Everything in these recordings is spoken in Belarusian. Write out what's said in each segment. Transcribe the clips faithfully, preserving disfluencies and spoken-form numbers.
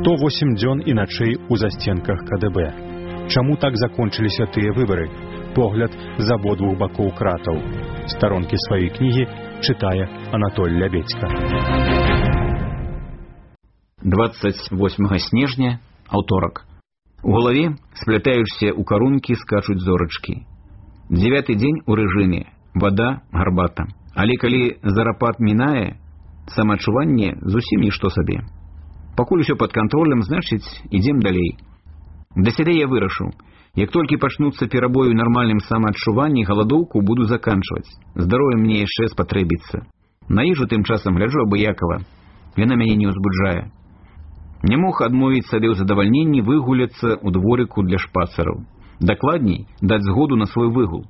сто восемь дзён і начэй у засценках ка дэ бэ. Чаму так закончыліся тыя выбары? Погляд з абодвух бакоў кратаў. Старонкі сваёй кнігі чытае Анатоль Лябедзька. двадцать восьмага снежня, аўторак. У галаве, сплятаючыся ў карункі, скачуць зорачкі. Дзевяты дзень у рэжыме, вада, гарбата. Але калі зарапат мінае, самаадчуванне зусім нішто сабе. Пакуль усё пад кантролем, значыць, ідзем далей. Для сябе я вырашыў, як толькі пачнуцца перабоі ў нармальным самаадчуванні, галадоўку буду заканчваць. Здароўе мне яшчэ спатрэбіцца. На ежу тым часам гляджу абыякава. Яна мяне не ўзбуджае. Не мог адмовіць сабе ў задавальненні выгуляцца ў дворыку для шпацараў. Дакладней, даць згоду на свой выгул.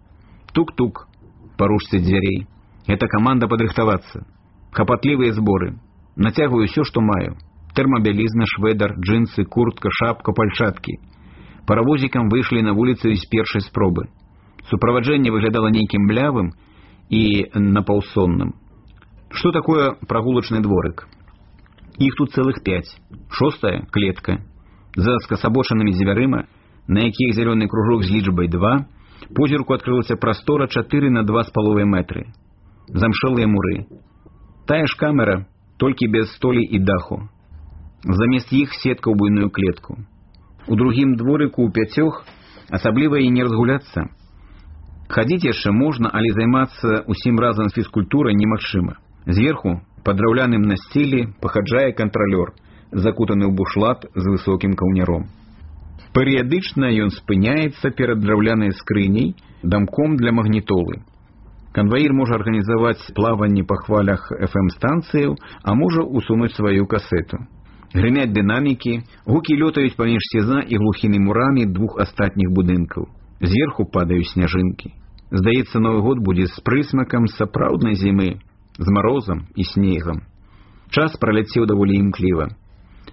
Тук-тук, па ручцы дзвярэй. Гэта каманда падрыхтавацца. Хапатлівыя зборы. Нацягваю ўсё, што маю. Тэрмабялізна, шведар, джинсы, куртка, шапка, пальчаткі. Паравозікам выйшлі на вуліцу з першай спробы. Суправаджэнне выглядала нейкім блявым і напаўсонным. Што такое прагулачны дворык? Іх тут цэлых пяць. Шостая — клетка. За скасабочанымі дзвярыма, на якіх зялёны кружок з лічбай два, позірку адкрылася прастора чатыры на два з паловай метры. Замшэлыя муры. Тая ж камера, толькі без столі і даху. Замест іх сетка ў буйную клетку. У другім дворыку ў пяцёх асабліва і не разгуляцца. Хадзіць яшчэ можна, але займацца усім разам з фізкультурай немагчыма. Зверху, пад драўляным насціллі, пахаджае кантралёр, закутаны ў бушлат з высокім каўняром. Перыядычна ён спыняецца перад драўлянай скрыняй, дамком для магнітолы. Канваір можа арганізаваць плаванне па хвалях эф эм-станцыяў, а можа усунуць сваю касету. Грымяць дынамікі, гукі лётаюць паміж сеза і глухімі мурамі двух астатніх будынкаў. Зверху падаюць сняжынкі. Здаецца, Новы год будзе з прысмакам сапраўднай зімы, з марозам і снегам. Час праляцеў даволі імкліва.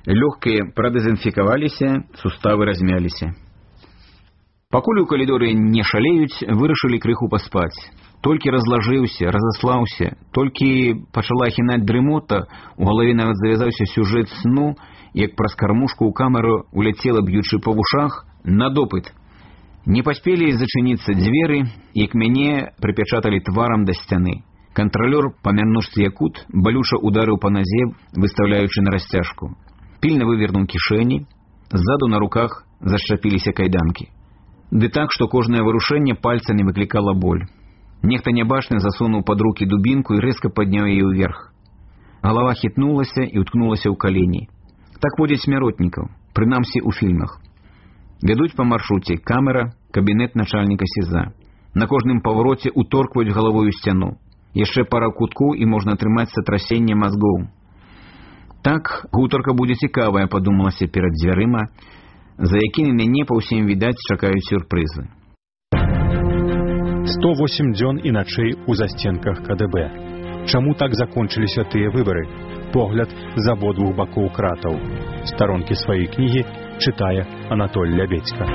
Лёгкія прадэзінфікаваліся, суставы размяліся. Пакуль у калідоры не шалеюць, вырашылі крыху паспаць. Толькі разлажыўся, разаслаўся, толькі пачала хінаць дрымота, у галаве нават завязаўся сюжэт сну, як праз кармушку ў камеру уляцела, б'ючы па вушах, на допыт. Не паспелі зачыніцца дзверы, як мяне прыпячаталі тварам да сцяны. Кантралёр па мянушцы якут балюча ударыў па назе, выстаўляючы на расцяжку. Пільна вывернуў кішэні, ззаду на руках зашчапіліся кайданкі. Ды так, што кожнае варушэнне пальцамі выклікала боль. Нехта нябачны засунуў пад рукі дубінку і рэзка падняў яе ўверх. Галава хітнулася і уткнулася ў калені. Так водзяць смяротнікаў, прынамсі ў фільмах. Вядуць па маршруце камера, кабінет начальніка сеза. На кожным павароце уторкваюць галавою сцяну. Яшчэ пара куткоў і можна атрымаць сатрасенне мазгоў. Так, гутарка будзе цікавая, падумалася перад дзвярыма, за якімі мяне па ўсім відаць чакаюць сюрпрызы. сто восемь дзён і начэй у засценках ка дэ бэ. Чаму так закончыліся тыя выбары? Погляд з абодвух бакоў кратаў. Старонкі сваёй кнігі чытае Анатоль Лябедзька.